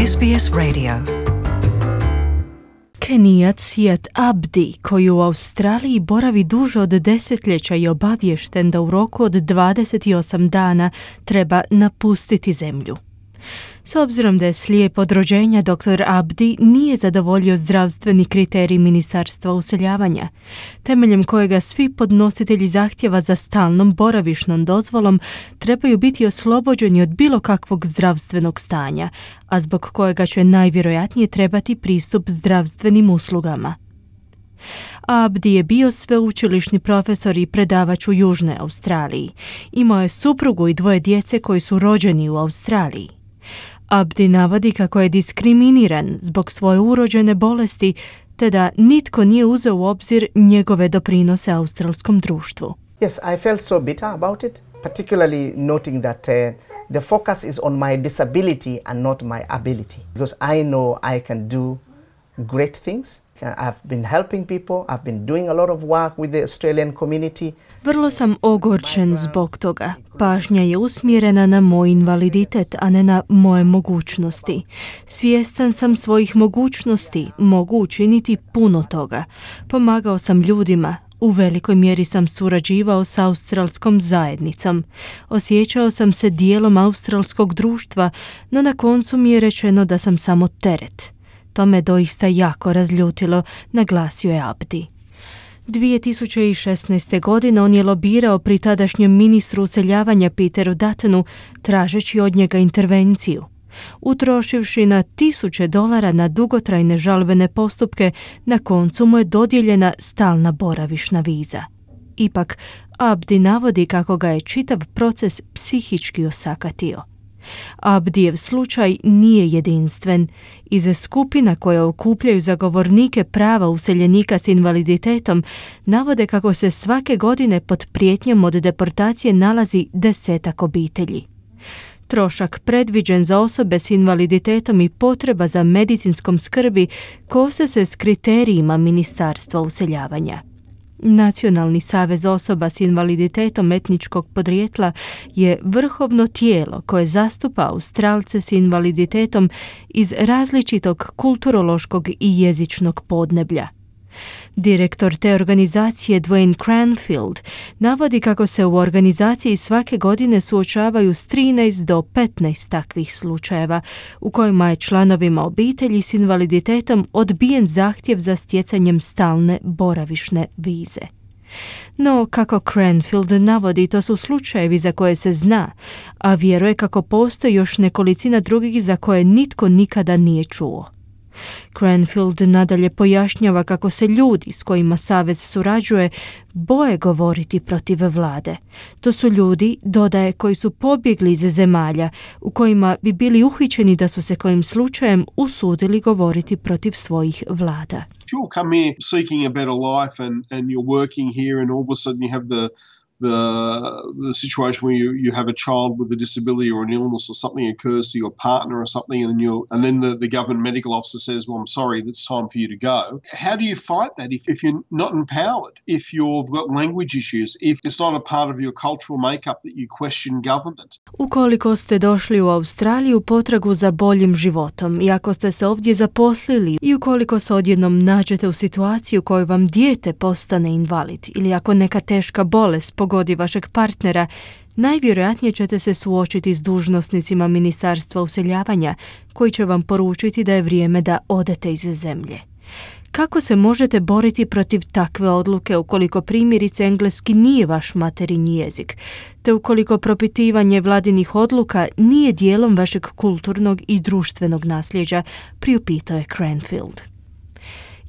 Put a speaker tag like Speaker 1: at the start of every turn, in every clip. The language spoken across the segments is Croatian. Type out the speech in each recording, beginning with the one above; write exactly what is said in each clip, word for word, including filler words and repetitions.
Speaker 1: S B S Radio.
Speaker 2: Kenijac Siad Abdi, koji u Australiji boravi duže od desetljeća i obaviješten da u roku od dvadeset osam dana treba napustiti zemlju. S obzirom da je slijep od rođenja, doktor Abdi nije zadovoljio zdravstveni kriterij Ministarstva useljavanja, temeljem kojega svi podnositelji zahtjeva za stalnom boravišnom dozvolom trebaju biti oslobođeni od bilo kakvog zdravstvenog stanja, a zbog kojega će najvjerojatnije trebati pristup zdravstvenim uslugama. Abdi je bio sveučilišni profesor i predavač u Južnoj Australiji. Imao je suprugu i dvoje djece koji su rođeni u Australiji. Abdi navodi kako je diskriminiran zbog svoje urođene bolesti, te da nitko nije uzeo u obzir njegove doprinose australskom društvu.
Speaker 3: Yes, I felt so bitter about it, particularly noting that uh, the focus is on my disability and not my ability, because I know I can do great things. I've been helping people, I've been doing a lot of work with the Australian community.
Speaker 2: Vrlo sam ogorčen zbog toga. Pažnja je usmjerena na moj invaliditet, a ne na moje mogućnosti. Svjestan sam svojih mogućnosti, mogu učiniti puno toga. Pomagao sam ljudima, u velikoj mjeri sam surađivao s australskom zajednicom. Osjećao sam se dijelom australskog društva, no na koncu mi je rečeno da sam samo teret. To me doista jako razljutilo, naglasio je Abdi. dvije tisuće šesnaeste. godine on je lobirao pri tadašnjem ministru useljavanja Peteru Duttonu, tražeći od njega intervenciju. Utrošivši na tisuće dolara na dugotrajne žalbene postupke, na koncu mu je dodijeljena stalna boravišna viza. Ipak, Abdi navodi kako ga je čitav proces psihički osakatio. Abdijev slučaj nije jedinstven. Iz skupina koje okupljaju zagovornike prava useljenika s invaliditetom navode kako se svake godine pod prijetnjom od deportacije nalazi desetak obitelji. Trošak predviđen za osobe s invaliditetom i potreba za medicinskom skrbi kose se s kriterijima Ministarstva useljavanja. Nacionalni savez osoba s invaliditetom etničkog podrijetla je vrhovno tijelo koje zastupa Australce s invaliditetom iz različitog kulturološkog i jezičnog podneblja. Direktor te organizacije Dwayne Cranfield navodi kako se u organizaciji svake godine suočavaju s trinaest do petnaest takvih slučajeva u kojima je članovima obitelji s invaliditetom odbijen zahtjev za stjecanjem stalne boravišne vize. No, kako Cranfield navodi, to su slučajevi za koje se zna, a vjeruje kako postoji još nekolicina drugih za koje nitko nikada nije čuo. Cranfield nadalje pojašnjava kako se ljudi s kojima savez surađuje boje govoriti protiv vlade. To su ljudi, dodaje, koji su pobjegli iz zemalja u kojima bi bili uhićeni da su se kojim slučajem usudili govoriti protiv svojih vlada.
Speaker 4: If you come here seeking a better life and, and you're working here and all of a sudden you have the the the situation where you, you have a child with a disability or an illness or something occurs to your partner or something and then you and then the, the government medical officer says, well, I'm sorry, it's time for you to go. How do you fight that if, if you're not empowered, if you've got language issues, if it's not a part of your cultural makeup that you question government?
Speaker 2: Ukoliko ste došli u Australiju potragu za boljim životom i ako ste se ovdje zaposlili i ukoliko se odjednom nađete u situaciji u kojoj vam dijete postane invalid ili ako neka teška bolest pogodi vašeg partnera, najvjerojatnije ćete se suočiti s dužnosnicima Ministarstva useljavanja koji će vam poručiti da je vrijeme da odete iz zemlje. Kako se možete boriti protiv takve odluke ukoliko primjerice engleski nije vaš materinji jezik, te ukoliko propitivanje vladinih odluka nije dijelom vašeg kulturnog i društvenog nasljeđa, priupitao je Cranfield.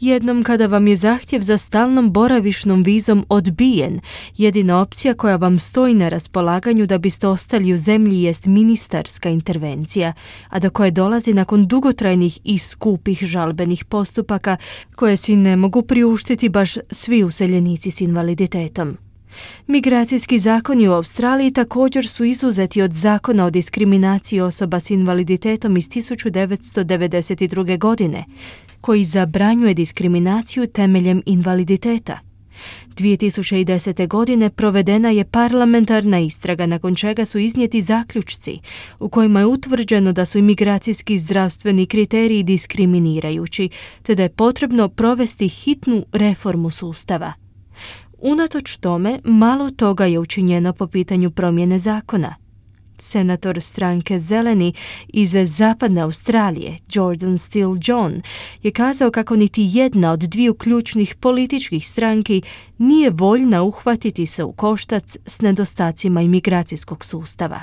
Speaker 2: Jednom kada vam je zahtjev za stalnom boravišnom vizom odbijen, jedina opcija koja vam stoji na raspolaganju da biste ostali u zemlji jest ministarska intervencija, a do koje dolazi nakon dugotrajnih i skupih žalbenih postupaka koje si ne mogu priuštiti baš svi useljenici s invaliditetom. Migracijski zakoni u Australiji također su izuzeti od zakona o diskriminaciji osoba s invaliditetom iz tisuću devetsto devedeset druge. godine, koji zabranjuje diskriminaciju temeljem invaliditeta. dvije tisuće desete. godine provedena je parlamentarna istraga nakon čega su iznijeti zaključci u kojima je utvrđeno da su imigracijski i zdravstveni kriteriji diskriminirajući, te da je potrebno provesti hitnu reformu sustava. Unatoč tome, malo toga je učinjeno po pitanju promjene zakona. Senator stranke Zeleni iz zapadne Australije, Jordan Steele John, je kazao kako niti jedna od dviju ključnih političkih stranki nije voljna uhvatiti se u koštac s nedostacima imigracijskog sustava.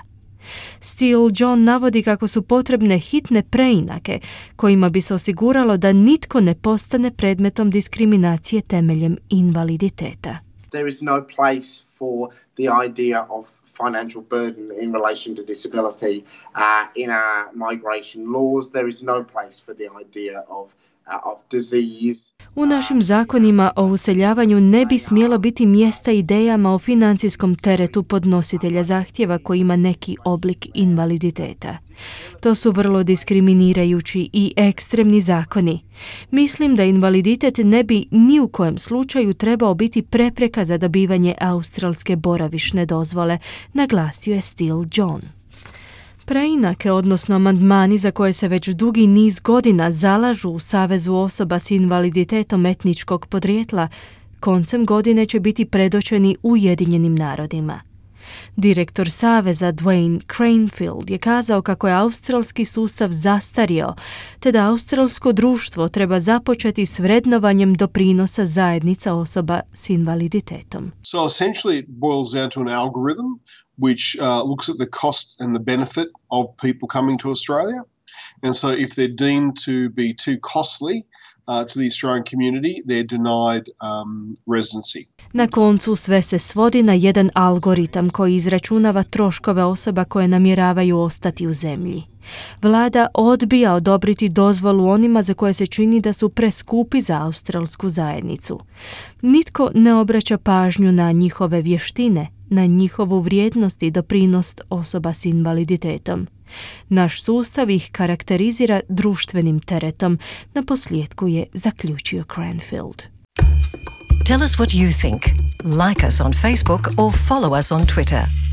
Speaker 2: Steele John navodi kako su potrebne hitne preinake kojima bi se osiguralo da nitko ne postane predmetom diskriminacije temeljem invaliditeta.
Speaker 1: There is no place for the idea of financial burden in relation to disability uh, in our migration laws. There is no place for the idea of uh, of disease.
Speaker 2: U našim zakonima o useljavanju ne bi smjelo biti mjesta idejama o financijskom teretu podnositelja zahtjeva koji ima neki oblik invaliditeta. To su vrlo diskriminirajući i ekstremni zakoni. Mislim da invaliditet ne bi ni u kojem slučaju trebao biti prepreka za dobivanje australske boravišne dozvole, naglasio je Steele John. Preinake, odnosno amandmani za koje se već dugi niz godina zalažu u Savezu osoba s invaliditetom etničkog podrijetla, koncem godine će biti predočeni Ujedinjenim narodima. Direktor Saveza Dwayne Cranfield je kazao kako je australski sustav zastario, te da australsko društvo treba započeti s vrednovanjem doprinosa zajednica osoba s invaliditetom.
Speaker 4: So essentially it boils down to an algorithm which uh, looks at the cost and the benefit of people coming to Australia. And so if they're deemed to be too costly uh, to the Australian community, they're denied um, residency.
Speaker 2: Na koncu sve se svodi na jedan algoritam koji izračunava troškove osoba koje namjeravaju ostati u zemlji. Vlada odbija odobriti dozvolu onima za koje se čini da su preskupi za australsku zajednicu. Nitko ne obraća pažnju na njihove vještine, na njihovu vrijednost i doprinos osoba s invaliditetom. Naš sustav ih karakterizira društvenim teretom, na posljedku je zaključio Cranfield.
Speaker 5: Tell us what you think. Like us on Facebook or follow us on Twitter.